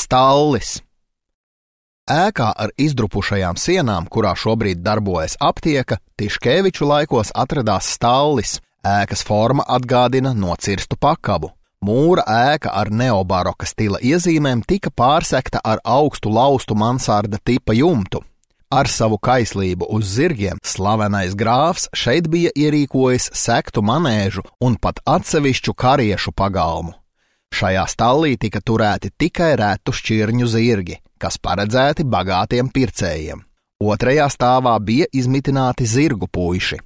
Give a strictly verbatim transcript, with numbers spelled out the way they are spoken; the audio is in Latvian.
stallis. Ēkā ar izdrupušajām sienām, kurā šobrīd darbojas aptieka, Tiškeviču laikos atradās stallis. Ēkas forma atgādina nocirstu pakabu. Mūra ēka ar neobaroka stila iezīmēm tika pārsekta ar augstu laustu mansarda tipa jumtu. Ar savu kaislību uz zirgiem slavenais grāfs šeit bija ierīkojis sektu manēžu un pat atsevišķu kariešu pagalmu. Šajā stallī tika turēti tikai retu šķirņu zirgi, kas paredzēti bagātiem pircējiem. Otrajā stāvā bija izmitināti zirgu puiši.